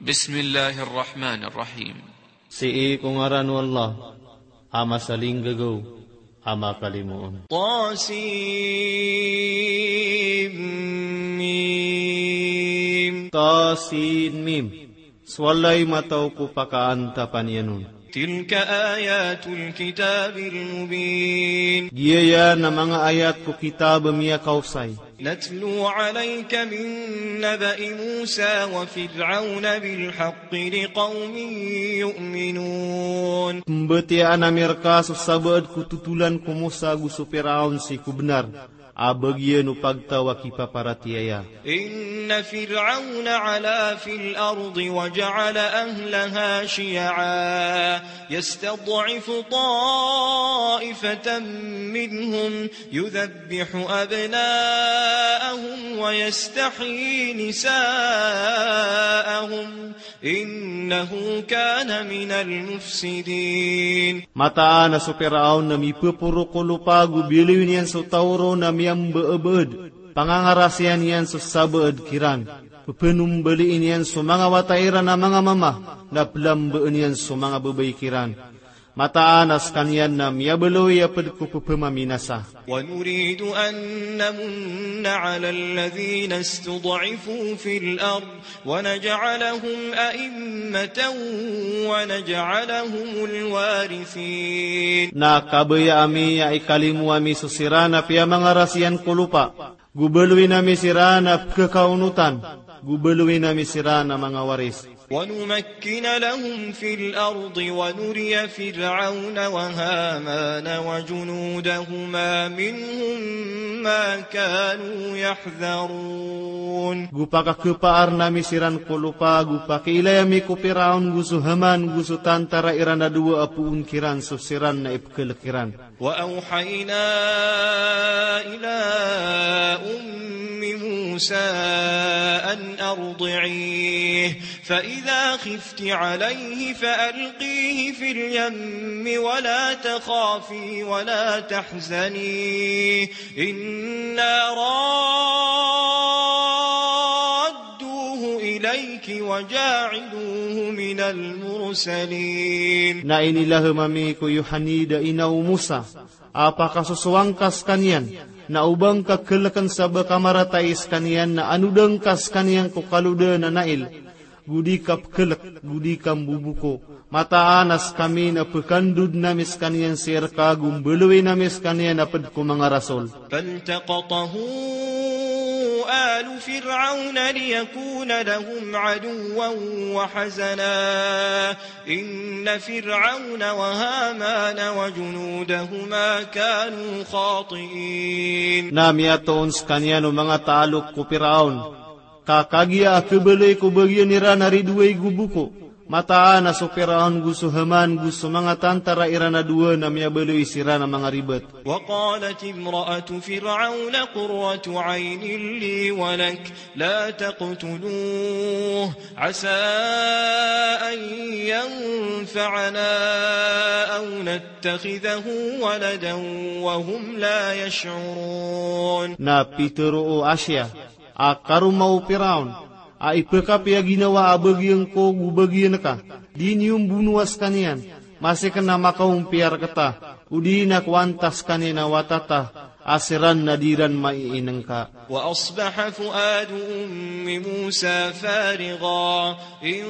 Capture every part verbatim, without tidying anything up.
Bismillahir Rahmanir Rahim. Sii ko ngaran o Allah, a masalinggagaw, a makalimoon. Tasin Mim. Tasin Mim. So walay mataw ko pakaantapan iyan on. Tilka ayatul kitabil mubin. Giya iyan a manga ayat ko kitab a miyakaosay. Natlu alayka min naba'i Musa wa Fir'awna bil haqqi liqawmin yu'minun. Pmbatiyaan ami rka so sabaad ko totolan ko Musa ago so Piraon sii ko bnar a bagian o pagtaw a kipaparatiyaya. Inna Fir'awna 'ala fil ardi wa ja'ala ahlaha shiya'a yastad'ifu ta'ifatan minhum yudhabbihu abna'ahum wa yastahyi nisa'ahum innahu kana minal mufsidin. Mataan a so Piraon na mipphoro ko lopa ago biyaloy niyan so taw ron a miyambaabad. Pangangarasiyan iyan so sabaad kiran. Pphanombaliin iyan so manga wata iran a manga mama, na plambaan iyan so manga babay kiran. Mataan a skaniyan na miyabaloy a pd ko pphamaminasa. Wa nuridu an namunna 'alal ladhina istud'ifu fil ard wa naj'alahum a'immatan wa naj'alahumul warithin. Na kabaya ami a ikalimo ami so siran a piyamangarasiyan ko lopa. Go baloyin ami siran a pkhakaonotan, go baloyin ami siran a manga waris. Wa numakkina lahum fil ardi wa nuriya Fir'awna wa Hamana wa junudahuma minhum ma kanu yahdharun. Go pakakhapaarn ami siran ko lopa, go pakiilay ami ko Piraon, go so Haman, go so tantara iran a dowa a poon kiran so siran na ipkhalk iran. Wa awhayna ila ummi Musa an ardi'ih, fa idha khifti alayhi fa alqihi fil yammi wa la takhafi wa la tahzani, inna radduhu ilayki wa ja'iluhu minal mursalin. Na inilahm ami ko Yohanid a ina o Musa, a pakasosowa ngka skaniyan, na o ba ngka khalkn sa ba ka maratay skaniyan, na anoda ngka skaniyan ko kaloda na Nail, go di ka pkhalk, go di ka mboboko. Mataan a skami na pkhandodn ami skaniyan sii rka, go mbaloyin ami skaniyan a pd ko manga rasol. Faltaqatahu alu Fir'awna liyakuna lahum aduwwan wa hazana. Inna Fir'awna wa Hamana wa junudahuma kanu khati'in. Na miyatoon skaniyan o manga taalok ko Piraon, ka kagiya a khabaloy ko bagian iran a ridoay go boko. Mataan a so Piraon go so Haman go so manga tantara iran a dowa na miyabaloy siran a manga ribat. Wa qalat imra'atu Fir'awna qurratu 'aynin li wa lak, la taqtuluhu 'asa an yanfa'ana aw nattakhidhahu waladan wa hum la yash'urun. Na pitharo o Asiya, a karoma o Piraon, a ipkhapiyaginawa a bagian ko go bagian ka, di niyo mbonoa skaniyan, masi kna makaompiya rkta, odi na ko antaa skaniyan a wata ta, a siran na di ran maiinngka. Wa asbaha fu'adu ummi Musa farigha in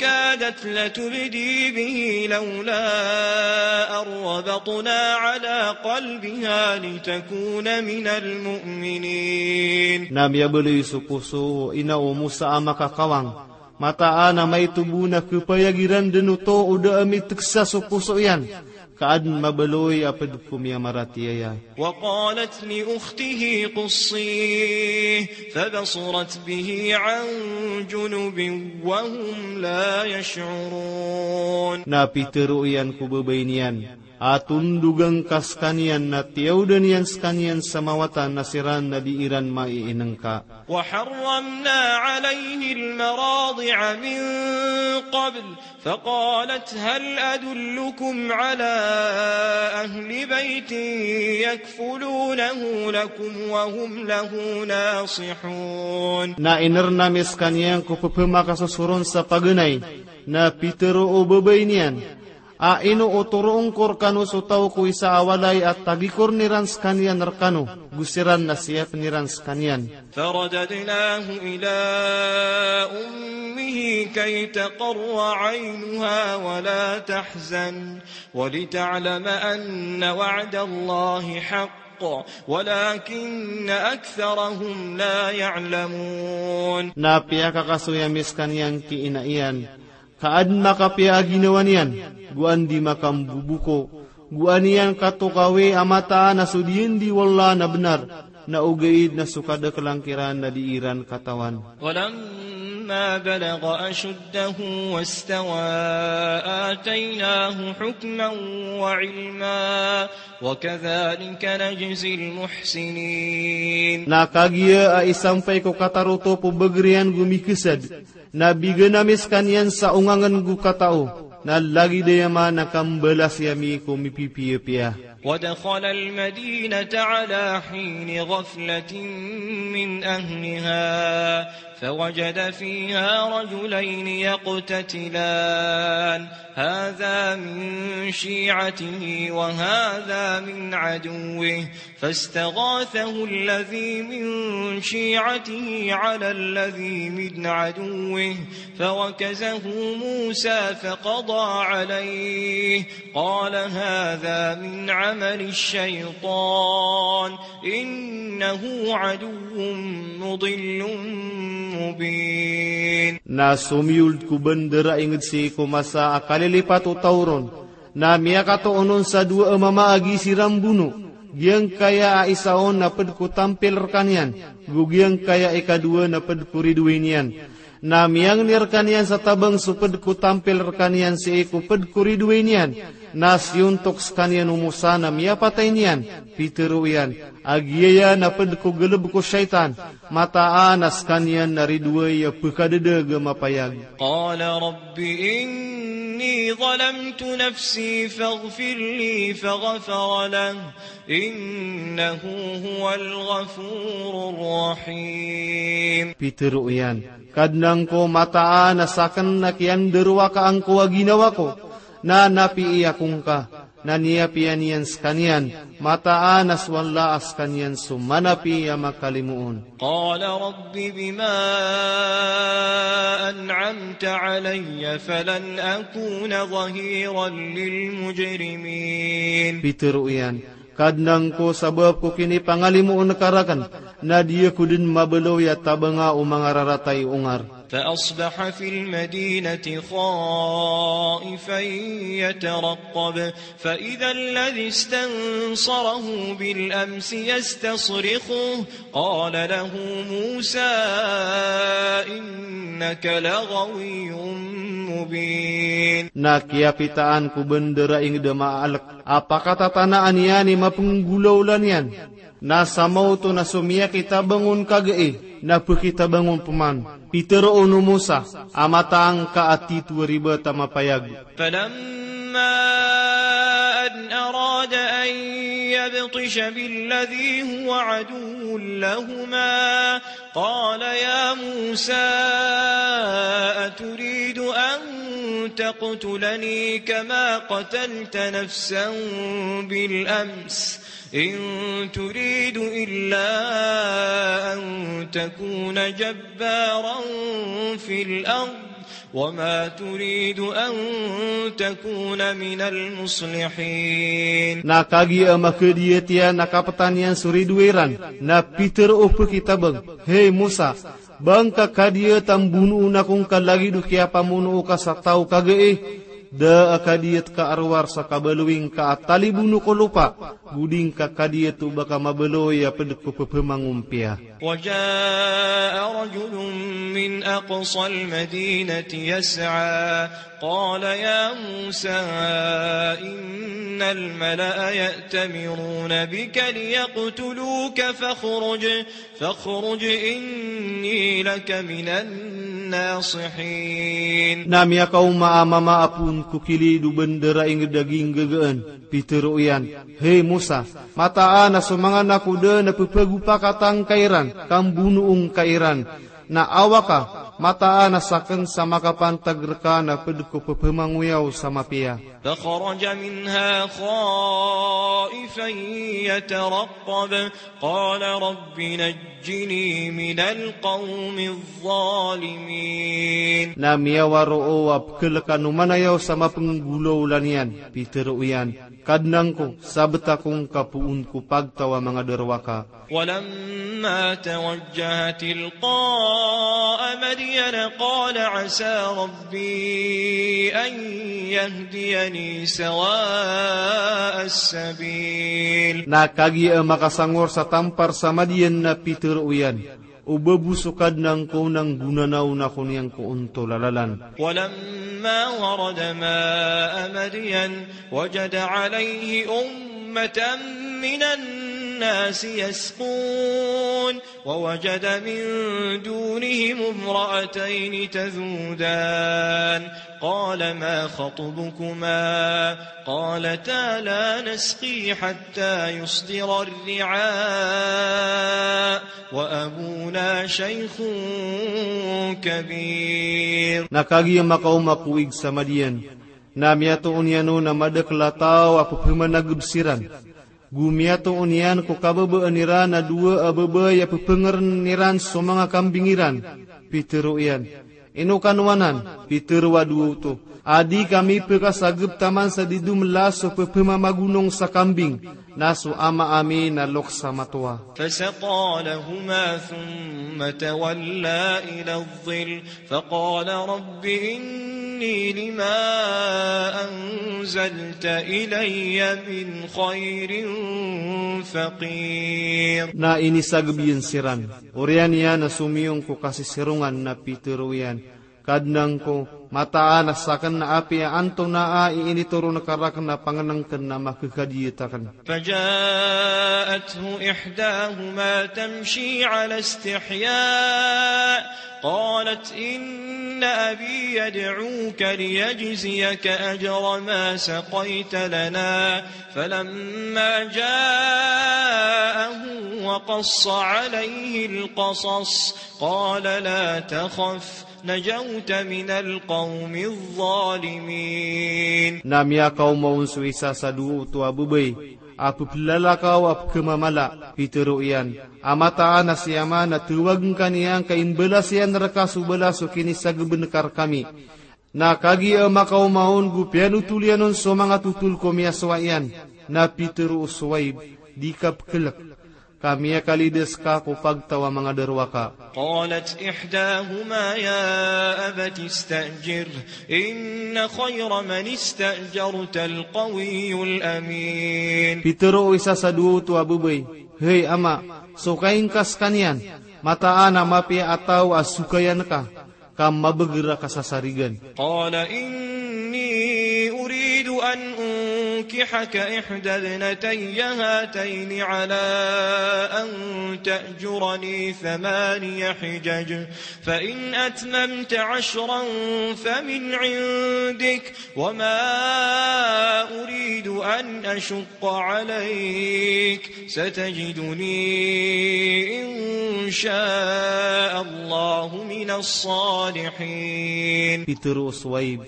kadat latubdi bihi lawla an rabatna 'ala qalbiha litakuna minal mu'minin. Na miyabaloy so poso o ina o Musa a makakawang. Mataan a maito bo na khapayag iran dn oto o da a mitksa so poso iyan, ka adn mabaloy a pd ko miyamaratiyaya. Wa qalat li ukhtihi qussihi fabasurat bihi 'an junubin wa hum la yash'urun. Na pitharo iyan ko babay niyan, a tondogan ka skaniyan na tiyaodan iyan skaniyan sa mawatan na siran na di iran maiinengka. وحرمنا عليه المراضع من قبل فقالت هل أدلكم على أهل بيت يكفلونه لكم وهم له ناصحون. Na inerna mi skaniyan ko pepemakasosoron sa paganay, na pitero o babay niyan, a ino o toroon ko rekano so taw ko isa a walay a tagikor iran skaniyan rekano, go siran na siyapen iran skaniyan. فرددناه إلى أمه كي تقر عينها ولا تحزن ولتعلم أن وعد الله حق ولكن أكثرهم لا يعلمون. Na piyakakasoy ami skaniyan ki ina iyan, ka aden makapiya a ginawa niyan, go an di makamboboka, go an iyan katokawi a mataan a so diyan di wallah na benar, na ogaid na so kadakelan kiran na di iran katawan. ولما بلغ أشده واستوى آتيناه حكما وعلما وكذلك نجزي المحسنين. Na kagiya a isampay ko katarotop o bager iyan go mikesad, na bigan ami skaniyan sa ongangen go katao, na lagid aya man a kambalasi ami ko mipipiyapiya. ودخل المدينة على حين غفلة من أهلها فوجد فيها رجلين يقتتلان هذا من شيعته وهذا من عدوه فاستغاثه الذي من شيعته على الذي من عدوه فوكزه موسى فقضى عليه قال هذا من عمل الشيطان إنه عدو مضل مبين. Na somiyold ko bandar a inged sii ko masa a kalilipat o taw ron, na miyakatoon on sa dowa a mama a gii siran bono, giyangkaya a isa on na ped ko tampil rekaniyan, go giyangkaya a ikadowa na ped ko ridoway niyan. Na miyangni rekaniyan sa tabang so ped ko tampil rekaniyan sii ko ped ko ridoway niyan, na siyontok sekaniyan o Musa na miyapatay niyan. Pitero iyan a giyaya na ped ko galeb ko shaytan, mataan a sekaniyan na ridoway a pekadedeg a mapayag. قال رب إني ظلمت نفسي فاغفر لي فغفر له إنه هو الغفور الرحيم. Pitero iyan, Kadnan ko, mataan a saken na kiyanderowaka angko a ginawa ko, na napiya ako ngka, na niyapiya niyan sekaniyan, mataan a so Allah a sekaniyan so manapi a makalimoon. قال رب بما أنعمت علي فلن أكون ظهيرا للمجرمين. Pitero iyan, Kadnan ko, sabap ko kinipangalimoon ka raken, na di ako den mabaloy a tabanga o manga rarata i ongar. فأصبح في المدينة خائفا يترقب فإذا الذي استنصره بالأمس يستصرخه قال له موسى إنك لغوي مبين. Na kiyapitaan ko bandar a inged a maalek a pakatatanaan iyan i mapenggolawla niyan. Na sa maoto na so miyakitabang on kagai, na pekitabang on peman. Pitero on o Musa a mataan ka a tito a ribat a mapayag. فلما أن أراد أن يبطش بالذي هو عدو لهما قال يا موسى أتريد أن تقتلني كما قتلت نفسا بالأمس إن تريد إلا أن تكون جبارا في الأرض وما تريد أن تكون من المصلحين. Na kagiya a makadiyat iyan a kapetan iyan so ridoay ran, na pitero o pekitabang, Hey Musa, ba ngka kadiyat a mbonoon ako ngka lagid o kiyapamonoo ka sa taw kagai? Da a kadiyat ka a rowar sa kabaloy ngka a talibon o ko lopa, go di ngka kadiyat o ba ka mabaloy a pd ko pphamangompiya. وجاء رجل من أقصى المدينة يسعى قال يا موسى إن الملأ يأتمرون بك ليقتلوك فاخرج فاخرج إني لك من الناصحين. Na miyakaoma a mama a poon ko kilid o bandar a ingd a ginggagaan, pitharo iyan, "Hay Musa, mataan a so manga nakoda na pphagopakatan ka iran, kambonoon ka iran. Na awaka, mataan a sakn sa makapantag rka na pd ko pphamangoyaw sa mapiya." فخرج منها خائفا يترقب قال رب نجني من القوم الظالمين. Na miyawaro a pkhalkan o manayaw sa mapnggolawla niyan, pitharo iyan, "Kadnan ko, sabta ko ngka poon ko pagtaw a manga darowaka." ولما توجه تلقاء مدين قال عسى ربي أن يهديني سواء السبيل. Na kagiya makasangor sa tampar sa Madiyan na pitharo iyan, "O ba bo so Kadnan ko na nggonanaw ako niyan ko ontol a lalan." ولما ورد ماء مدين وجد عليه أمة من الناس يسقون ووجد من دونهم امرأتين تذودان قال ما خطبكما قالتا لا نسقي حتى يصدر الرعاء وأبونا شيخ كبير. Na kagiya makaoma ko ig sa Madiyan, na miyatoon iyan on a madakl a taw a pphamanagb siran. Go miyatoon iyan ko kababaan iran a dowa a babay a pphangaren iran so manga kambing iran. Pitharo iyan, "Ino kano anan?" Pitharo a dowa oto a, "Di kami pkasagp taman sa di domelas so pphamamagonong sa kambing, na so ama ami na loks a matowa." فسقى لهما ثم تولى إلى الظل فقال رب إني لما أنزلت إلي من خير فقير. Na inisagb iyan siran. Oriyan iyan a somiyong ko kasisirongan na pitharo iyan, "Kadnan ko, mataan a sakn na apiya antonaa i initoron ka rakn a pangnngkn a makakadiyat akn." فجاءته إحداهما تمشي على استحياء قالت إن أبي يدعوك ليجزيك أجر ما سقيت لنا فلما جاءه وقص عليه القصص قال لا تخف نجوت من القوم الظالمين. Na miyakaoma on so isa sa dowa oto a babay a pphalalakaw a pkhamamala, pitharo iyan a mataan a si ama na tawagn ka niyan ka imbalas iyan rka so balas o kinisagb ngka rkami. Na kagiya makaoma on go piyanotol iyan on so manga totol ko miyasowa iyan, na pitharo o Suwayb, "Di ka pkhlk, ka miyakalidas ka ko pagtaw a manga darowaka." قالت إحداهما يا أبت استأجره إن خير من استأجرت القوي الأمين. Pitharo o isa sa dowa oto a babay, "Hay ama, sokay ngka skaniyan, mataan a mapiya a taw a sokayan ka, ka mabagr a kasasarigan." قال إني أريد أن أنكحك إحدى ابنتي هاتين على أن تأجرني ثماني حجج فإن أتممت عشرا فمن عندك وما أريد أن أشق عليك ستجدني إن شاء الله من الصالحين. Pitharo o Suwayb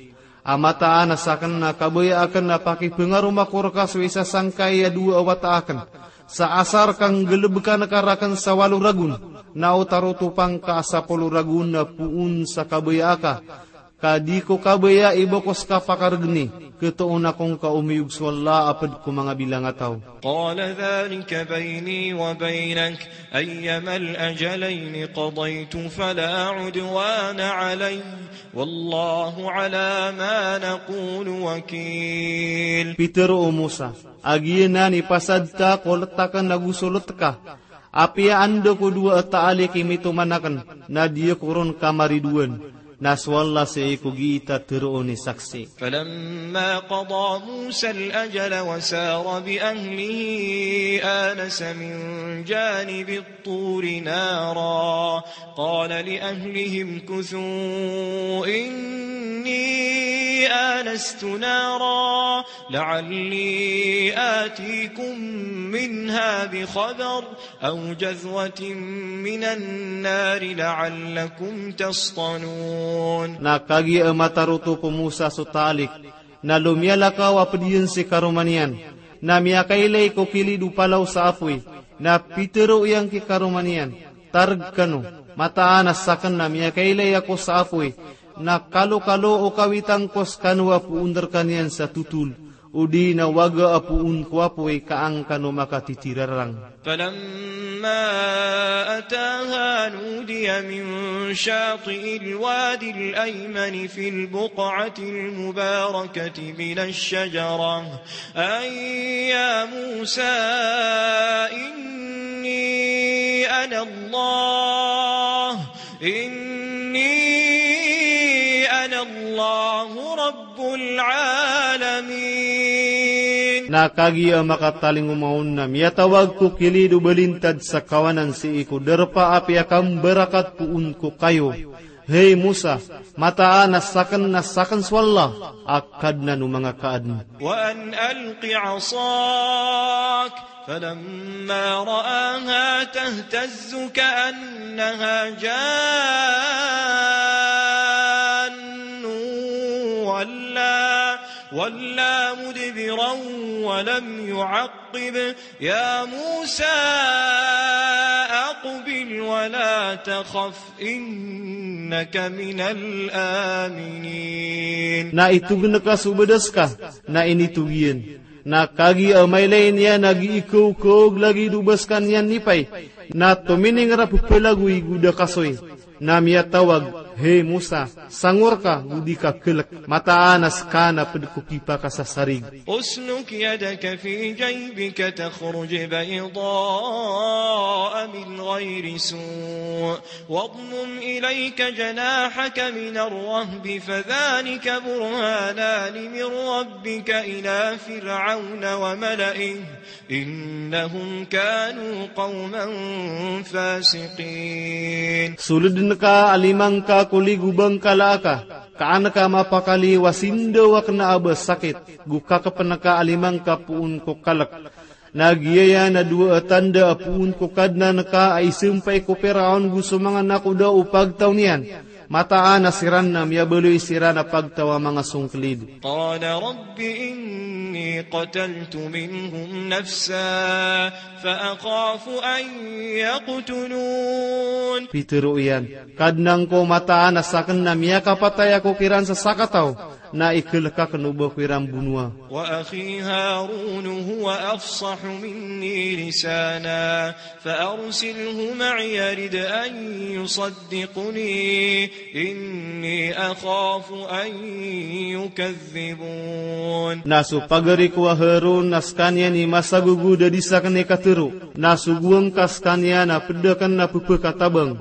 a mataan a sakn na kabaya akn a pakipangaroma ko rka so isa sangkai a dowa a wata akn sa asar ka nggalbkan ka rakn sa walo ragon, na o tarotopan ka a sapolo ragon na poon sa kabaya aka. Ka di ko kabaya i bo ko ska pakaregeni, ketoon ako ngka omiyog so Allah a ped ko manga bilangataw. قال ذلك بيني وبينك، أيما الأجلين قضيت فلا عدوان علي، والله على ما نقول وكيل. Pitero o Musa, a giyanan i pasad ta ko letaken ago so leteka. Apiya anda ko dowa a taalik i mitoman aken, na di ako ron kamaridoan. Na so Allah sii ko giita teroon i saksi. فلما قضى موسى الأجل وسار بأهله آنس من جانب الطور نارا قال لأهله امكثوا إني آنست نارا لعلي آتيكم منها بخبر أو جذوة من النار لعلكم تصطلون. Na kagiya a mataroto ko Musa so taalik, na lomiyalakaw a ped iyan si karoma niyan, na miyakailay ko kilid o palaw sa apoy, na pitero iyan ki karoma niyan, tareg kano, mataan a saken na miyakailay ako sa apoy, na kalokalo o kawitan ko sekano a poon rekaniyan sa totol, odi na waga a poon ko apoy ka an kano makatitirarang. فلما أتاها نودي من شاطئ الواد الأيمن في البقعة المباركة من الشجرة أن يا موسى إني أنا الله إني أنا الله رب العالمين. Na kagiya a makatalingoma on na miyatawag ko kilid o balintad sa kawanan sii ko darpa a piyakambarakat poon ko kayo. Hay Musa, mataan a saken na saken so Allah a Kadnan o manga kaadn. وأن ألق عصاك فلما رآها تهتز كأنها جان ولا، ولا مدبرا ولم يعقب يا موسى أقبل ولا تخف إنك من الآمنين. Na itogn ka so badas ka, na initog iyan. Na kagiya a mailay niyan a giikokoog lagid o bas ka niyan nipay, na tomining rap pelagoy go da kasoy. Na miyatawag, hay Musa, sangor ka go di ka kelek, mataan a seka na ped ko kipakasasarig. اسلك يدك في جيبك تخرج بيضاء من غير سوء واضمم إليك جناحك من الرهب فذلك برهانان من ربك إلى فرعون وملئه إنهم كانوا قوما فاسقين. Soldn ka a lima ngka ko lig o bangkala aka, ka an ka mapakaliyo a sindaw a kena a ba sakit, go kakepn ka a lima ngka poon ko kalek. Na giya iyan a dowa a tanda a poon ko Kadnan ka a isampay ko Firaon go so manga nakoda o pagtaw niyan. Mataan a siran na miyabaloy siran a pagtaw a manga songklid. قال رب إني قتلت منهم نفسا فأخاف أن يقتلون. Pitero iyan, Kadnan ko, mataan a saken na miyakapatay ako kiran sa sakataw, na ikelek aken o ba ko iran bonoa. وأخي هارون هو أفصح مني لسانا فأرسله معي يرد أن يصدقني إني أخاف أن يكذبون. Na so pagari ko a Harun na sekaniyan i masagogod a di saken i katero, na sogoan ka sekaniyan a ped aken a pepekatabang.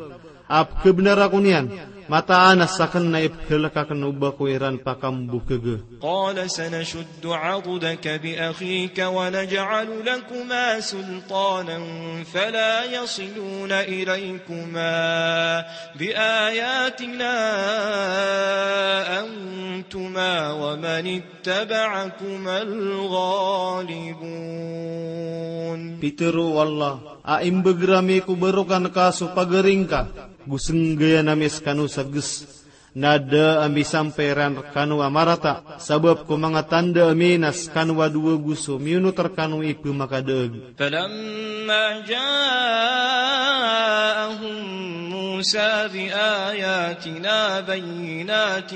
A pekebnar ako niyan, mataan a saken na ipekelek aken o ba ko iran pakambokega. قال سنشد عضدك بأخيك ونجعل لكما سلطانا فلا يصلون إليكما بآياتنا أنتما ومن اتبعكما الغالبون. Pitero o Allah, a imbegr ami ko barokan ka so pagari ngka, go senggayan ami sekano sa ges. Na da ami sampay ran rekano a marata, sabap ko manga tanda ami na sekano a dowa go so miyonot rekano i pemakadaag. فلما جاءهم موسى موسى بآياتنا بينات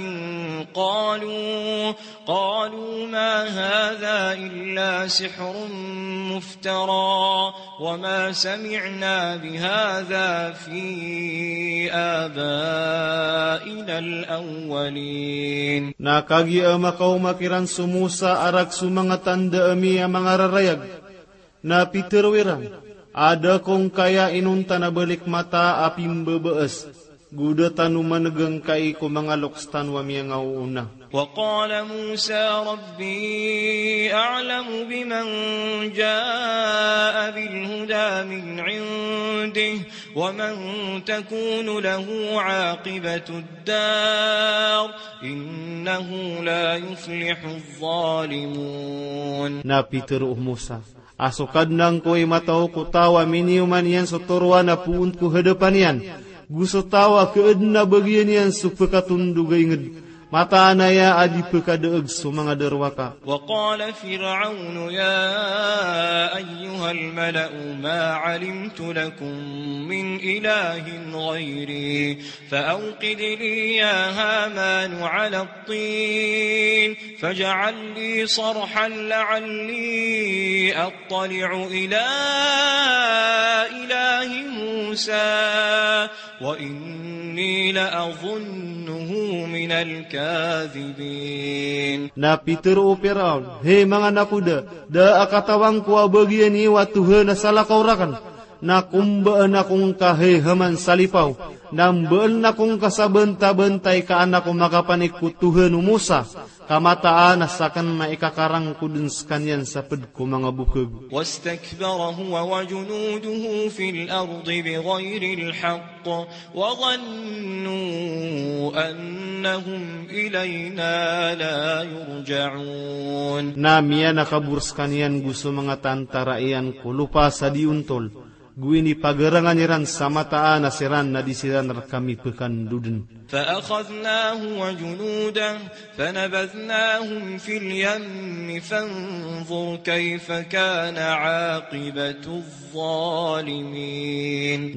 قالوا، قالوا ما هذا إلا سحر مفترى وما سمعنا بهذا في آبائنا الأولين. Na kagiya makaoma kiran so Musa a rk so manga tanda ami a mangararayag, na pitharo iran a da ko ngkaya inonta na balik mata a pimbabaas, go da tano maneg angkai ko manga loks tano a miyangaoona. وقال موسى ربي أعلم بمن جاء بالهدى من عنده ومن تكون له عاقبة الدار إنه لا يفلح الظالمون. Na pitharo o Musa a so Kadnan ko i matao ko taw a miniyoman iyan so toroan a poon ko hadapan iyan, go so taw a kaadn a bagian iyan so pkatondog a ingd. Mataan aya a di pkadaag so manga darowaka. وقال فرعون يا أيها الملأ ما علمت لكم من إله غيري فأوقد لي يا هامان على الطين فاجعل لي صرحا لعلي أطلع إلى إله موسى وإني لأظنه من الكاذبين. Na pitharo o Firaon, hay manga nakoda, da a katawan ko a bagian iyo a tohan a salakaw rakn, na kombaan ako ngka hay Haman sa lipaw, na mbaan ako ngka sa bantabantay ka an ako makapanik ko tohan o Musa, ka mataan a sakn na ikakarang ko dn skaniyan sa pd ko manga bokag. واستكبر هو وجنوده في الأرض بغير الحق وظنوا أنهم إلينا لا يرجعون. Na miyanakabor skaniyan go so manga tantara iyan ko lopa sa di ontol, go inipagarangan iran sa mataan a siran na di siran rkami pkandodn. فأخذناه وجنوده فنبذناهم في اليم فانظر كيف كان عاقبة الظالمين.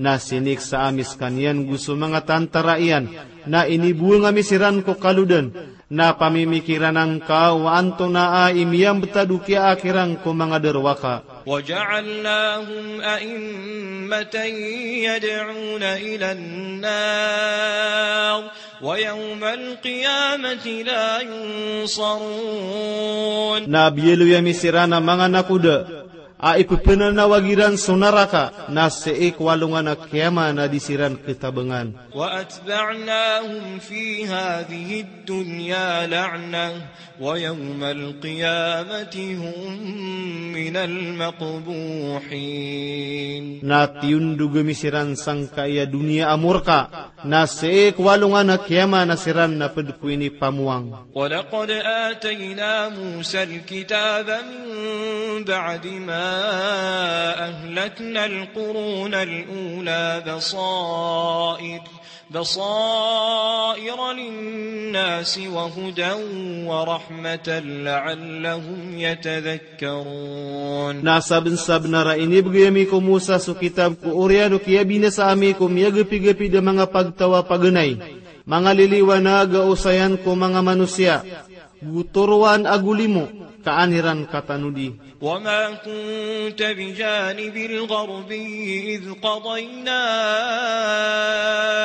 Na siniksa ami skaniyan go so manga tantara iyan, na inibowang ami siran ko kalodan, na pamimikiran angka o antonaa i miyambtad o kiyaak iran ko manga darowaka. وجعلناهم أئمة يدعون إلى النار ويوم القيامة لا ينصرون. Na biyaloy ami siran a manga nakoda a ippananawag iran so naraka, na sii ko alongan a kiyama na di siran katabangan. وأتبعناهم في هذه الدنيا لعنة ويوم القيامة هم من المقبوحين. Na tiyondog ami siran sangkai a doniya a morka, na sii ko alongan a kiyama na siran na pd ko inipamowang. ولقد آتينا موسى الكتاب من بعد ما أهلكنا القرون الأولى بصائر بصائر للناس وهدى ورحمة لعلهم يتذكرون. Na sabnsabnar a inibgay ami ko Musa so kitab ko oriyan o kiyabinasa ami ko miyagapigapid a manga pagtaw a paganay, manga liliwanag a osayan ko manga manosiya, go toroan ago limo ka an iran katanodi. وما كنت بجانب الغربي إذ قضينا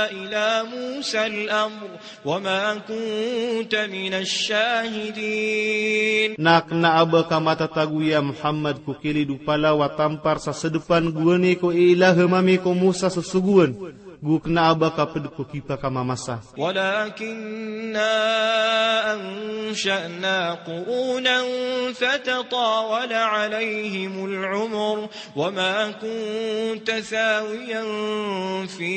إلى موسى الأمر وما كنت من الشاهدين. Na kna a ba ka matatago, ya Muhammad, ko kilid o palaw a tampar sa sdpan gowani ko ilaham ami ko Musa so sogoan, go kna a ba ka pd ko kipakamamasa. ولكنا أنشأنا قرونا فتطاول عليهم العمر وما كنت ثاويا في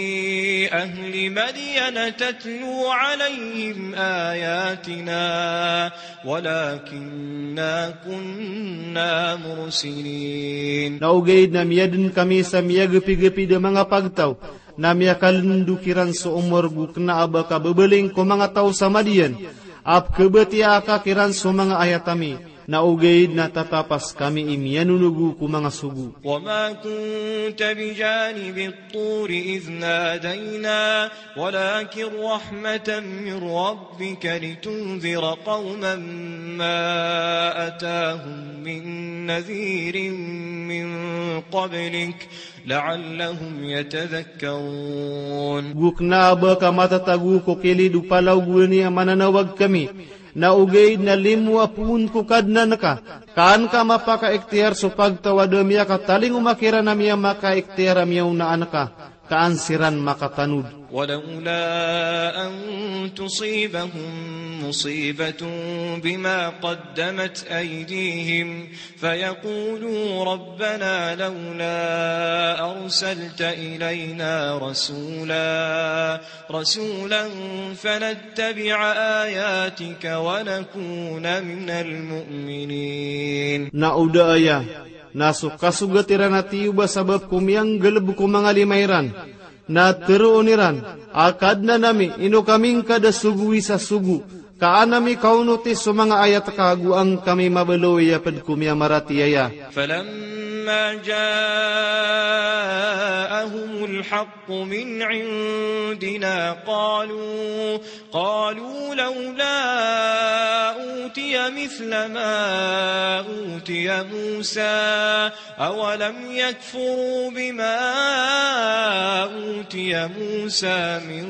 أهل مدين تتلو عليهم آياتنا ولكنا كنا مرسلين. Na ogaid na miyadn kami sa miyagpigpid a manga pagtaw, na miyakalndok iran so omor, go kna a ba ka babaling ko manga taw sa Madian a pkhabatiyaa ka kiran so manga ayat ami. Na ogaid na tatapas kami i miyanonogo ko manga sogo. وما كنت بجانب الطور إذ نادينا ولكن رحمة من ربك لتنذر قوما ما أتاهم من نذير من قبلك لعلهم يتذكرون. Go kna a ba ka matatago ko kilid o palaogowan iyan a mananawag kami, na ogaid na limo a poon ko Kadnan ka, ka an ka mapakaikhtiyar so pagtaw a da miyakatalingoma kiran a miyamakaikhtiyar a miyaonaan ka, ka an siran makatanod. ولولا أن تصيبهم مصيبة بما قدمت أيديهم فيقولوا ربنا لولا أرسلت إلينا رسولا، رسولا فنتبع آياتك ونكون من المؤمنين. Na o da aya na so kasogat iran a tiyoba sabap ko miyanggaleb ko manga lima iran, na teroon iran a, Kadnan ami, ino kami ngka da sogowi sa sogo, ka an ami kaonoti so manga ayat ka, go an kami mabaloy a ped ko miyamaratiyaya. فلما جاءهم الحق من عندنا قالوا، قالوا لولا أوتي مثل ما أوتي موسى أولم يكفروا بما أوتي موسى من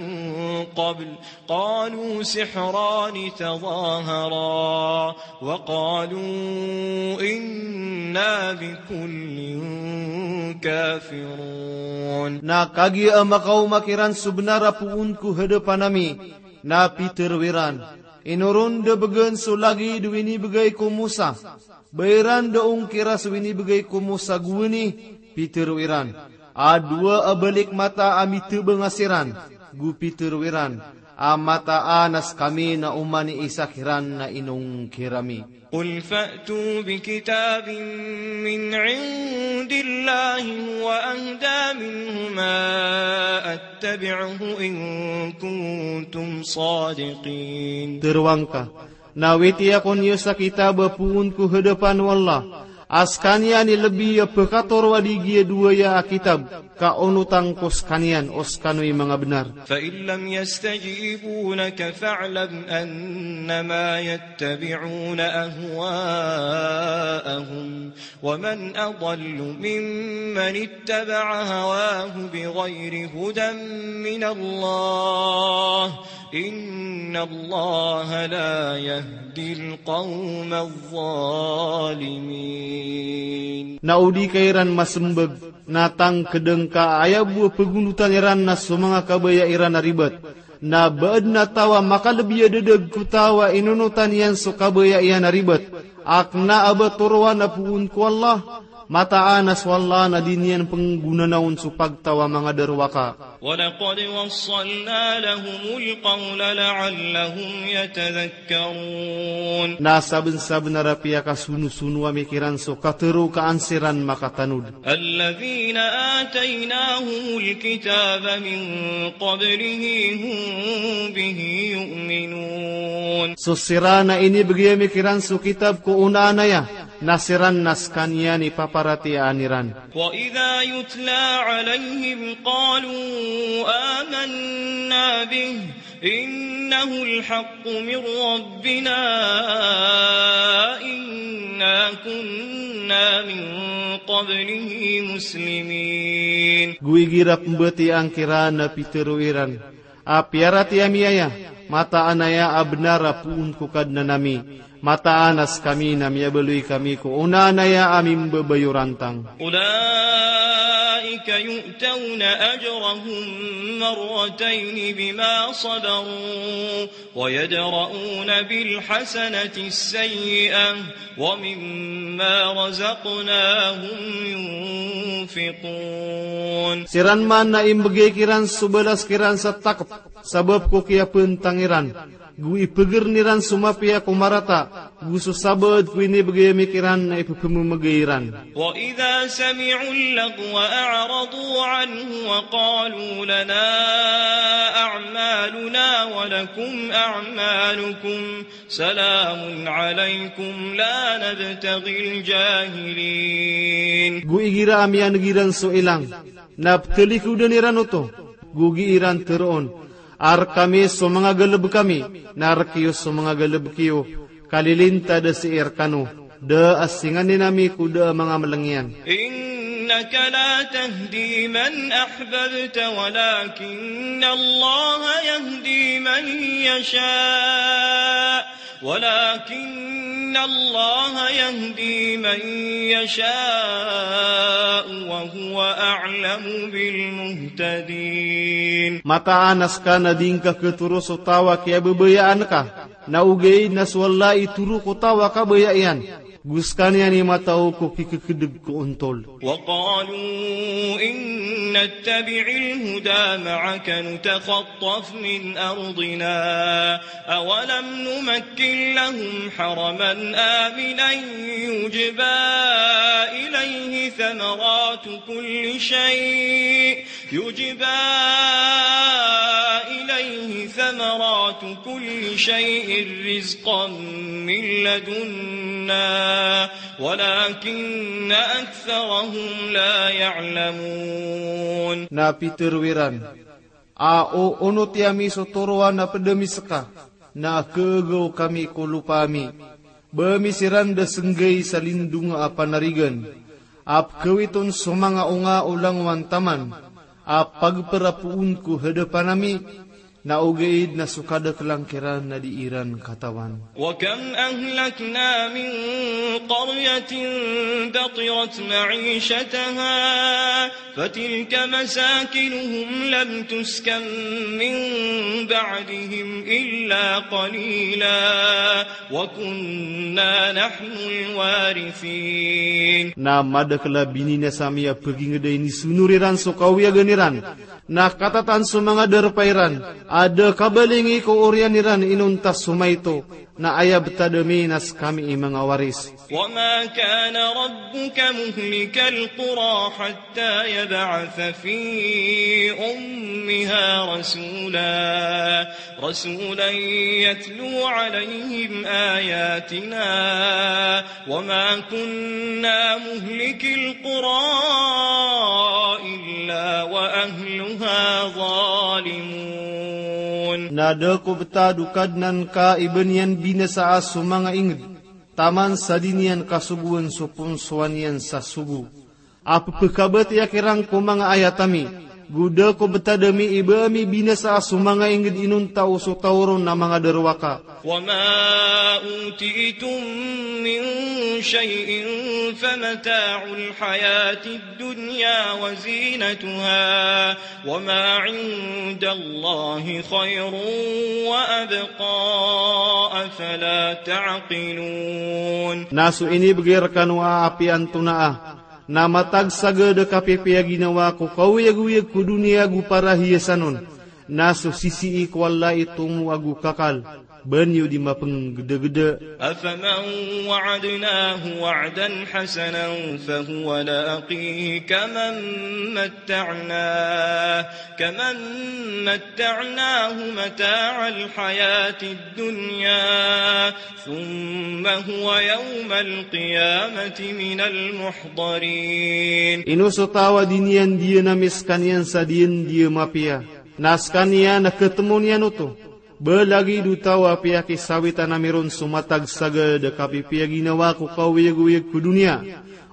قبل قالوا سحران تظاهرا وقالوا إنا بكل كافرون. Na kagiya a makaoma kiran so benar a poon ko hadapan ami, na pitero iran, ino ron da begen so lagid o inibegay ko Musa. Ba iran da ongkira so inibegay ko Musa gowani, pitero iran. A dowa a balik mata a mitebanga siran, go pitero iran a mataan a sekami na oman i isa kiran na inongkir ami. قل فأتوا بكتاب من عند الله هو أهدى منهما أتبعه إن كنتم صادقين. Teroang ka, na witi akn iyo sa kitab a poon ko hadapan o Allah, a sekaniyan i lebi a pekatoro a di giya dowa aya a kitab, ka onotan ko sekaniyan o sekano i manga benar. فإن لم يستجيبوا لك فاعلم أنما يتبعون أهواءهم ومن أضل ممن اتبع هواه بغير هدى من الله إن الله لا يهدي القوم الظالمين. Na o di ka iran masembag, na tangked ngka a aya bo a pegondotan iran na so manga kabaya iran a ribat. Na ba aden a taw a makalebi a dedag ko taw a inonotan iyan so kabaya iyan a ribat, a kena a ba toroan a poon ko Allah, mataan a so Allah na di niyan penggonanaon so pagtaw a manga darowaka. ولقد وصلنا لهم القول لعلهم يتذكرون. Na sabensabenar a piyakasonosono ami kiran so katero ka an siran makatanod. الذين آتيناهم الكتاب من قبله هم به يؤمنون. So siran a inibegay ami kiran so kitab ko onaan aya, na siran na sekaniyan i paparatiyayaan iran. وإذا يتلى عليهم قالوا آمنا به إنه الحق من ربنا إنا كنا من قبله مسلمين. Go igira pembatiyaan kiran a pitero iran a piyaratiyaya ami aya, mataan aya a benar a poon ko Kadnan ami, mataan a sekami na miyabaloy kami ko onaan aya a mimbabayorantang. أولئك يؤتون أجرهم مرتين بما صبروا ويدرءون بالحسنة السيئة ومما رزقناهم ينفقون. Siran man na imbegay kiran so balas kiran sa takep, sabap ko kiyapentang iran, go ipegeren iran so mapiya ko marata, Go so sabaad ko inibgay ami kiran na ipepememegay iran. وإذا سمعوا اللغو أعرضوا عنه وقالوا لنا أعمالنا ولكم أعمالكم سلام عليكم لا نبتغي الجاهلين. Go igira a miyaneg iran so ilang, na petelikoden iran oto, go gii iran teroon a rekami so manga galebek ami, na rekiyo so manga galebek iyo, ka lilintad a sii rekano, da a singanin ami ko da a manga meleng iyan. إنك لا تهدي من أحببت ولكن الله يهدي من يشاء ولكن الله يهدي من يشاء وهو أعلم بالمهتدين. Mataan a seka na di ngka ketoro so taw a kiyabebayaan ka, na ogaid na so Allah i toro ko taw a kabaya iyan, go sekaniyan i matao ko kikekedeg ko ontol. وقالوا إن نتبع الهدى معك نتخطف من أرضنا أولم نمكن لهم حرما آمنا يجبى إليه ثمرات كل شيء يجبى إليه ثمرات كل شيء رزقا من لدنا ولكن أكثرهم لا يعلمون. Na pitero iran a o onoti ami so toroan a ped ami seka, na kegaw kami ko lopa ami. Ba ami siran da senggay sa lindonga a panarigan a pekawiton so manga onga o langowan taman a pagperapoon ko hedapan ami, na ogaid na so kadakelan kiran na di iran katawan. وكم أهلكنا من قرية بطرت معيشتها فتلك مساكنهم لم تسكن من بعدهم إلا قليلا وكنا نحن الوارثين. Na madakel a bininasa ami a peginged a inisonor iran so kawiyagan iran, na katatan so manga darpa iran a da kabalingi ko oriyan iran inonta so maito, na aya betad ami na sekami i manga waris. وما كان ربك مهلك القرى حتى يبعث في أمها رسولا، رسولا يتلو عليهم آياتنا وما كنا مهلك القرى إلا وأهلها ظالمون. Na da ko betad o Kadnan ka i ba niyan binasaa so manga inged taman sa di niyan kasogoan so ponsoan iyan sa sogo a pepekabatiya kiran ko manga ayat ami. Go da ko betad ami i ba ami binasaa so manga inged inonta o so taw ron a manga darowaka. وما أوتيتم من شيء فمتاع الحياة الدنيا وزينتها وما عند الله خير وأبقى أفلا تعقلون. Na so inibegay rekano a apiya antonaa na matag sagad a kapipiya ginawa ko kaoyagoyag ko doniya go parahiyasan on. Na so sisii ko Allah i tomo ago kakal, ba niyo di mapenggedageda. أفمن وعدناه وعدا حسنا فهو لاقيه كمن متعناه، كمن متعناه متاع الحياة الدنيا ثم هو يوم القيامة من المحضرين. Ino so taw a di niyan diyan ami sekaniyan sa diyan diyan mapiya, na sekaniyan a ketemo niyan oto. Ba lagid o taw a piyakisawitan ami ron so matag sagad a kapipiya ginawa ko kaoyagoyag ko doniya,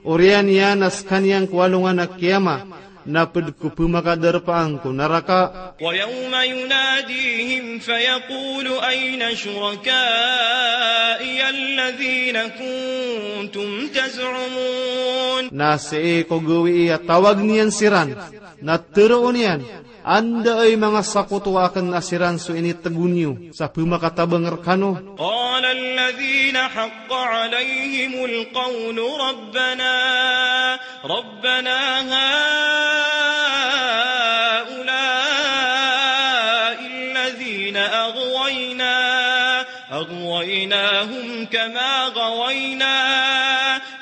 oriyan iyan a sekaniyan ko alongan a kiyama na ped ko pemakadarpaan ko naraka. ويوم يناديهم فيقول أين شركائي الذين كنتم تزعمون. Na sii ko gawii a tawag niyan siran, na teroon iyan, anda i manga sakoto aken a siran so initego niyo sa pemakatabang rekano? قال الذين حق عليهم القول ربنا، ربنا هؤلاء الذين أغوينا، أغوينا غويناهم كما غوينا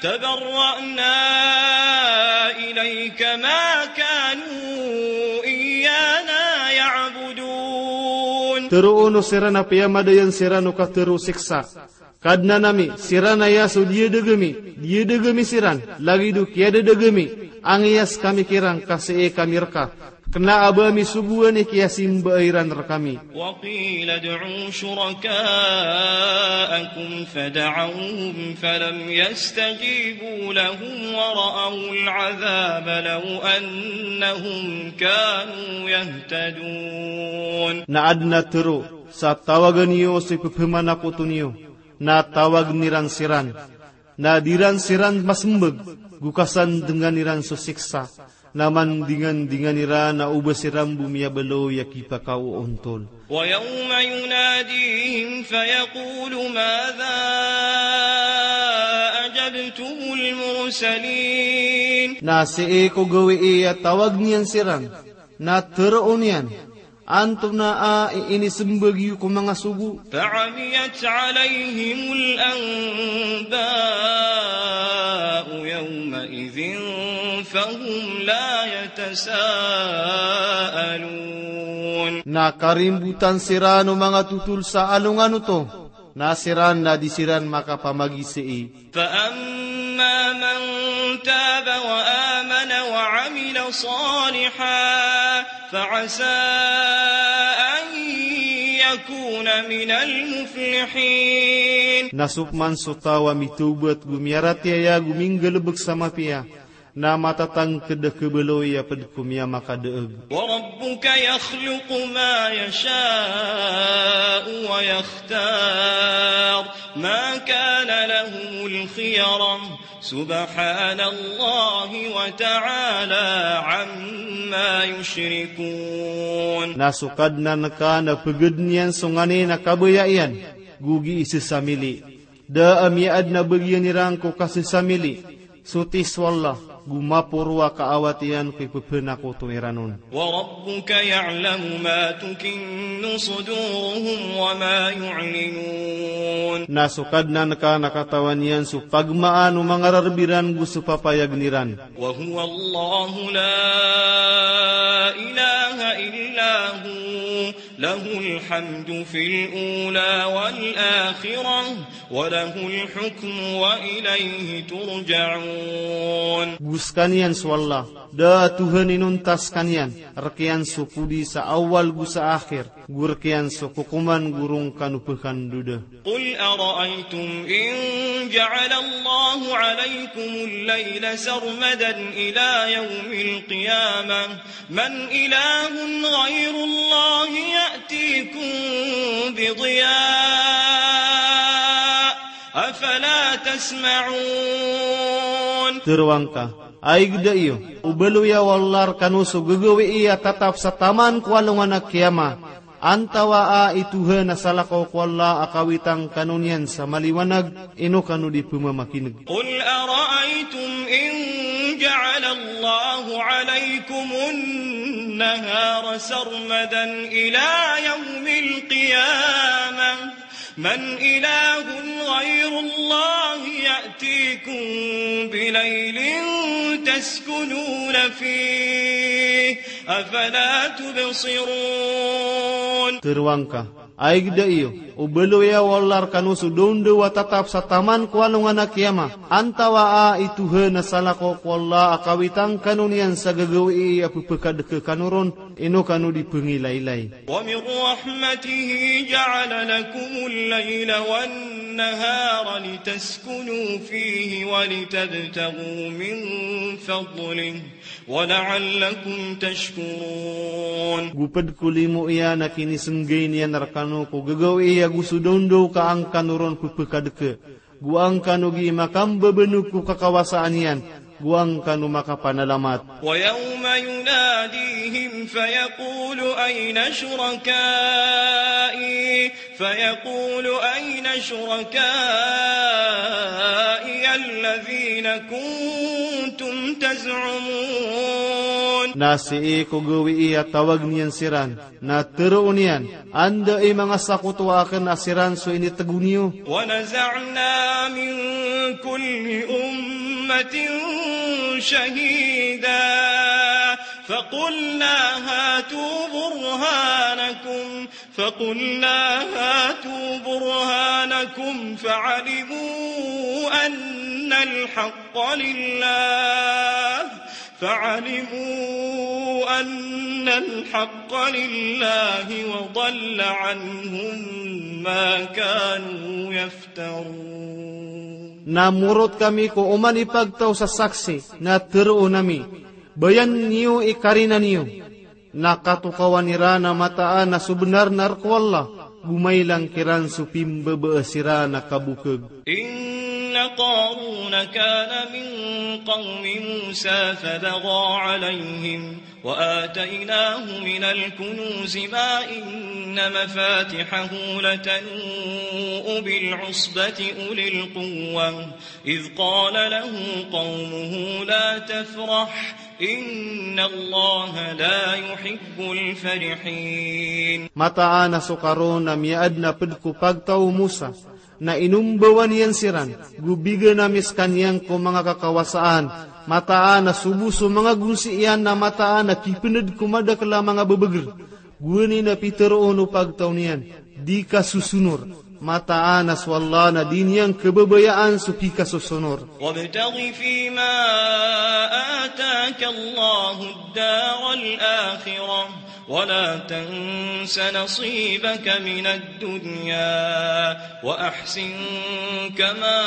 تبرأنا إليك ما كانوا إيانا يعبدون. Tero o siran a piyamadayan siran o katharo o siksa. Kadnan ami, siran aya so diyadeg ami, diyadeg ami siran, lagid o kiyadadeg ami, angiyas kami kiran ka sii kami reka, kena a ba ami sogoan i kiyasimba iran rekami. وقيل ادعوا شركاءكم فدعوهم فلم يستجيبوا لهم ورأوا العذاب لو أنهم كانوا يهتدون. Na aden a tero sa tawagen iyo so ipepemanakoto niyo, na tawagen iran siran, na di ran siran masembag, go kasandengan iran so siksa, na mandingandingan iran a oba siran bo miyabaloy a kipakaoontol. ويوم يناديهم فيقول ماذا أجبتم المرسلين. Na sii ko gawii a tawagen iyan siran, na teroon iyan, antonaa i inisembag iyo ko manga sogo? فعميت عليهم الأنباء يومئذ فهم لا يتساءلون. Na karimbotan siran o manga totol sa alongan oto, na siran na di siran makapamagisii. فأما من تاب وآمن وعمل صالحا فعسى أن يكون من المفلحين. Na so peman so taw a mitawbat go miyaratiyaya go minggalebek sa mapiya, na matatangked a kebaloy a ped ko miyamakadaeg. وربك يخلق ما يشاء ويختار ما كان لهم الخيرة سبحان الله وتعالى عما يشركون. Na so Kadnan ka na pegeden iyan so nganin a kabaya iyan, go gii sesamili. Da a miyaadn a bagian iran ko kasesamili, so tis o Allah, go maporo a kaawat iyan ko ipepenakoto iran on. وربك يعلم ما تكن صدورهم وما يعلنون. Na so Kadnan ka na katawan iyan so pagmaan o manga rareb iran go so papayagn iran. وهو الله لا إله إلا هو له الحمد في الأولى والآخرة وله الحكم وإليه ترجعون. Go sekaniyan so Allah, da a Tohan inonta sekaniyan, rek iyan so podi sa awal go sa akhir, go rek iyan so kokoman go ron kano pekandoda. قل أرأيتم إن جعل الله عليكم الليل سرمدا إلى يوم القيامة من إله غير الله يأتيكم بضياء أفلا تسمعون. Tero angka, aig da iyo, o baloya o Allah rekano so gagawii a tatap sa taman ko alongan a kiyama, antawaa i Tohan a salakaw ko Allah a kawitan kano niyan sa maliwanag, ino kano di pemamakineg. قل أرأيتم إن جعل الله عليكم النهار سرمدا إلى يوم القيامة من إله غير الله يأتيكم بليل تسكنون فيه أفلا تبصرون. Tero angka, aig da iyo, o baloya o Allah rekano so daondaw a tatap sa taman ko alongan a kiyama, antawaa i Tohan a salakaw ko Allah a kawitan kano niyan sa gagawii a pepekadeke kano ron, ino kano di pengilailay. ومن رحمته جعل لكم الليل والنهار لتسكنوا فيه ولتبتغوا من فضله ولعلكم تشكرون. Go ped ko limo iyan a kinisenggay niyan rekano ko gagawii ago so daondaw ka an kano ron pepekadeke, go an kano gii makambebenog ko kakawasaan iyan, go an kano makapanalamat. ويوم يناديهم فيقول أين شركائي فيقول أين شركائي الذين كنتم تزعمون. Na sii ko gawii a tawag niyan siran, na teroon iyan, anda i manga sakotoa aken a siran so initego niyo. ونزعنا من كل أمة شهيدا فقلنا هاتوا برهانكم فقلنا هاتوا برهانكم فعلموا أن الحق لله، فعلموا أن الحق لله وضل عنهم ما كانوا يفترون. Na morot kami ko oman i pagtaw sa saksi, na teroon ami, bayan niyo i karina niyo. Na katokawan iran a mataan a so benar na rk o Allah, go mailang kiran so pimbabaas iran a kabokeg. إن قارون كان من قوم موسى فبغى عليهم وآتيناه من الكنوز ما إن مفاتحه لتنوء بالعصبة أولي القوة إذ قال له قومه لا تفرح إن الله لا يحب الفرحين. Mataan a so Karun a miyaadn a pd ko pagtaw o Musa, na inombawan iyan siran, go bigan ami skaniyan ko manga kakawasaan, mataan a so bo so manga gonsi iyan na mataan a kipnd ko madakl a manga bbgr. Gowani na piteroon o pagtaw niyan, di ka sosonor. Mataan a so Allah na di niyan khababayaan so kikasosonor. وابتغ فيما آتاك الله الدار الآخرة ولا تنس نصيبك من الدنيا وأحسن كما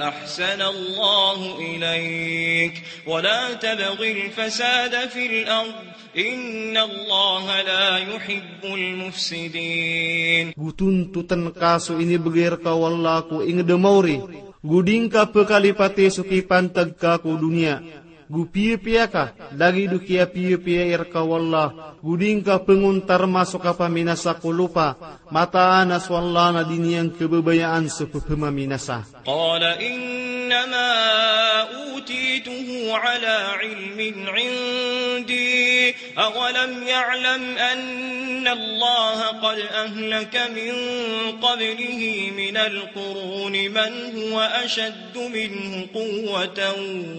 أحسن الله إليك ولا تبغ الفساد في الأرض إن الله لا يحب المفسدين. Go tontotn ka so inibgay rka o Allah ko ingd a maori, go di ngka pkalipati so kipantag ka ko doniya. Go piyapiya ka, lagid o kiyapiyapiya i rka o Allah, go di ngka pngontarma so kapaminasa ko lopa, mataan a so Allah na di niyan khababayaan so ppmaminasa. قال إنما أوتيته على علم عندي أولم يعلم أن الله قد أهلك من قبله من القرون من هو أشد منه قوة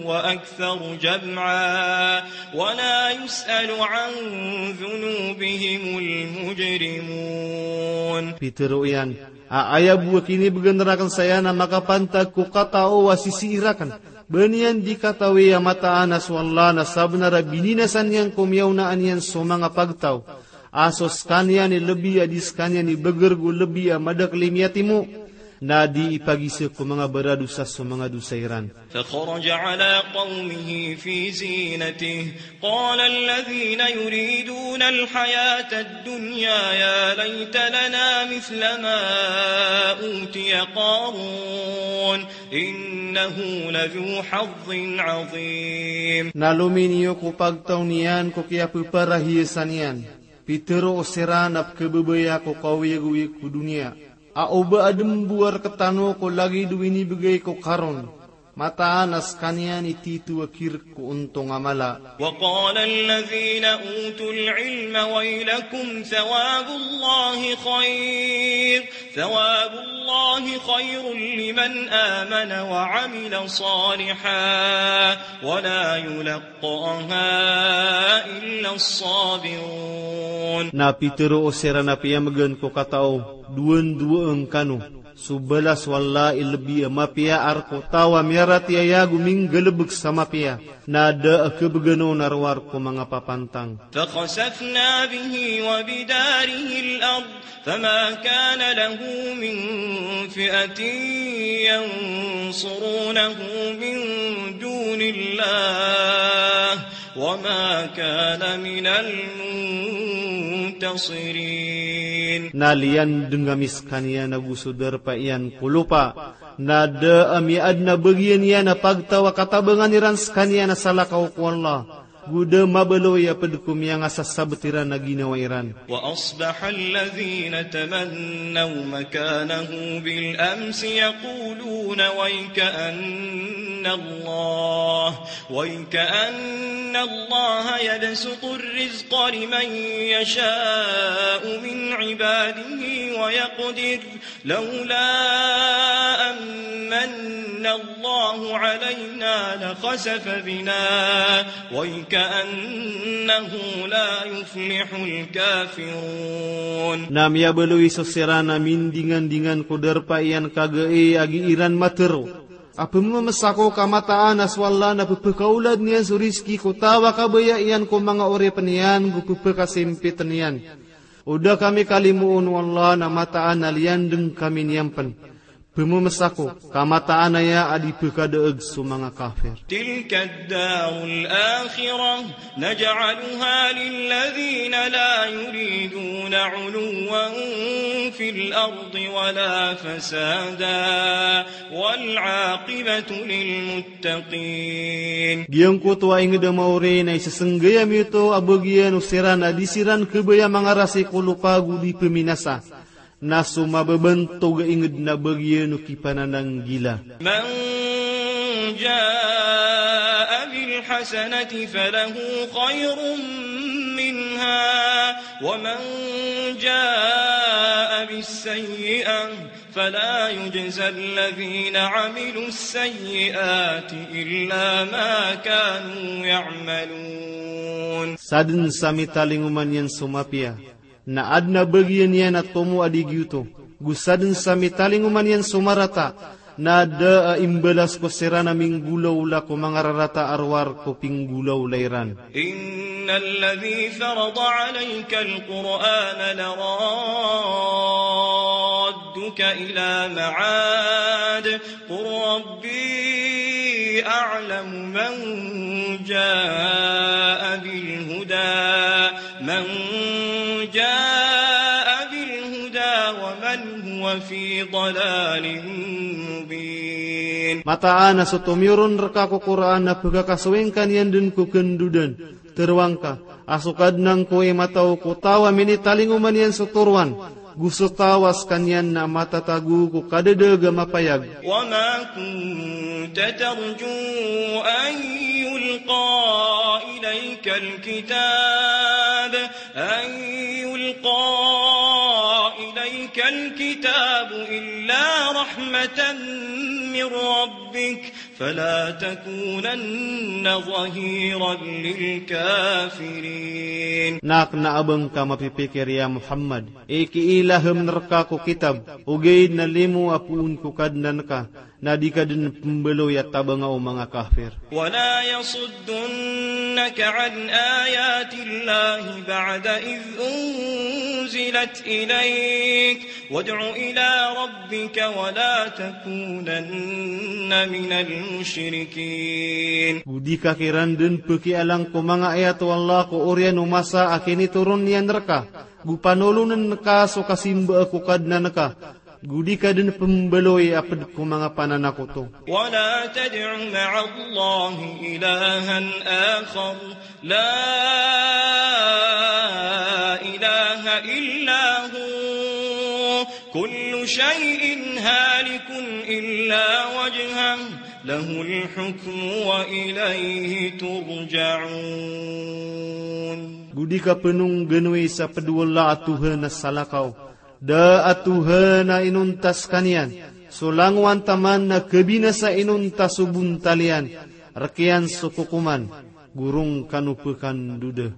وأكثر جمعا ولا يسأل عن ذنوبهم المجرمون. Pitero iyan, a aya bo a kinibgan rakn saya na makapantag ko katao a sisii rakn. Ba niyan di katawi a mataan a so Allah na sabnar a bininasa niyan ko miyaonaan iyan so manga pagtaw a so skaniyan i lbi a di skaniyan i bgr go lbi a madakl i miyatimo, na di ipagisa ko manga baradosa so manga dosa iran. فخرج على قومه في زينته قال الذين يريدون الحياة الدنيا يا ليت لنا مثل ما أوتي قارون إنه لذو حظ عظيم. Na lominiyo ko pagtaw niyan ko kiyappharahiyasan iyan. Pitero siran a pkhababaya ko kaoyagoyag ko doniya. A oba adn bo a rktano ko lagid o inibgay ko Karun. Mataan a skaniyan i tito a kirk ko ontong a mala. وقال الذين أوتوا العلم ويلكم ثواب الله خير، ثواب الله خير لمن آمن وعمل صالحا ولا يلقاها إلا الصابرون. Na pitero siran a piyamgan ko katao, dowan-dowa ngkano. So balas o Allah i lbi a mapiya a rk o taw a miyaratiyaya go minggalbk sa mapiya, na da a khabgan on a rowar ko manga papantang. فخسفنا به وبداره الأرض فما كان له من فئة ينصرونه من دون الله وما كان من المنتصرين. Na liyandng ami skaniyan ago so darpa iyan ko lopa, na da a miyaadn a bagian iyan a pagtaw a katabangan iran skaniyan a salakaw ko Allah. Go da mabaloy a pd ko miyangasasabt iran a ginawa iran. وأصبح الذين تمنوا مكانه بالأمس يقولون ويكأن الله، ويكأن الله يبسط الرزق لمن يشاء من عباده ويقدر، لولا أن من الله علينا لخسف بنا ويكأنه لا يفلح الكافرون. Na miyabaloy so siran a mindingandingan ko darpa iyan kagai a gii ran matero a pmamsako ka mataan a so Allah na pphakaolad niyan so rizki ko taw a kabaya iyan ko manga oripn iyan go pphakasimpitn iyan. O da kami kalimoon o Allah na mataan a liyandng kami niyan pn. Pmamsako ka mataan aya a di pkhadaag so manga kafir. تلك الدار الآخرة نجعلها للذين لا يريدون علوا في الأرض ولا فسادا والعاقبة للمتقين. Giyangkoto a ingd a maori na isasnggay ami oto a bagian o siran a di siran khabaya mangarasi ko lopa go di pminasa. Na so mababantog a ingd na bagian o kipanananggila. من جاء بالحسنة فله خير منها ومن جاء بالسيئة فلا يجزى الذين عملوا السيئات إلا ما كانوا يعملون. Sadn sa mitalingoma niyan so mapiya, na adn a bagian iyan a tomo a di giyoto. Go sadn sa mitalingoma niyan so marata, na da a imbalas ko siran a minggolawla ko manga rarata a rowar ko pinggolawla iran. إن الذي فرض عليك القرآن لرادك إلى معاد قل ربي أعلم من جاء بالهدى، من جاء بالهدى ومن هو في ضلال مبين. Mataan a so tomiyoron rka ko Qur'an na pkhakasoy ngka niyan dn ko kndodn. Toroa ngka a so Kadnan ko i matao ko taw a minitalingoma niyan so toroan, go so taw a skaniyan na matatago ko kadadaag a mapayag. وما كنت ترجو أن يلقى إليك الكتاب، أن يلقى إليك الكتاب إلا رحمة من ربك، فلا تكونن ظهيرا للكافرين. Na kna a ba ngka mapipikir ya Muhammad i kiilaham rka ko kitab, ogaid na limo a poon ko Kadnan ka, na di ka dn pmbaloy a tabanga o manga kafir. ولا يصدنك عن آيات الله بعد إذ أنزلت إليك وادع إلى ربك ولا تكونن من المشركين. Go di ka kiran dn pkialang ko manga ayat o Allah ko oriyan o masa a kinitoron iyan rka, go panolon ka so kasimba ko Kadnan ka, go di ka dn pmbaloy a pd ko manga pananakoto. ولا تدع مع الله إلها آخر لا إله إلا هو، كل شيء هالك إلا وجهه، له الحكم وإليه ترجعون. Go di ka pnongganoy sa pd o Allah a Tohan a salakaw, da a Tohan a inonta skaniyan so langowan taman na kabinasa inonta so bontal iyan, rk iyan so kokoman, go ron kano pkandoda.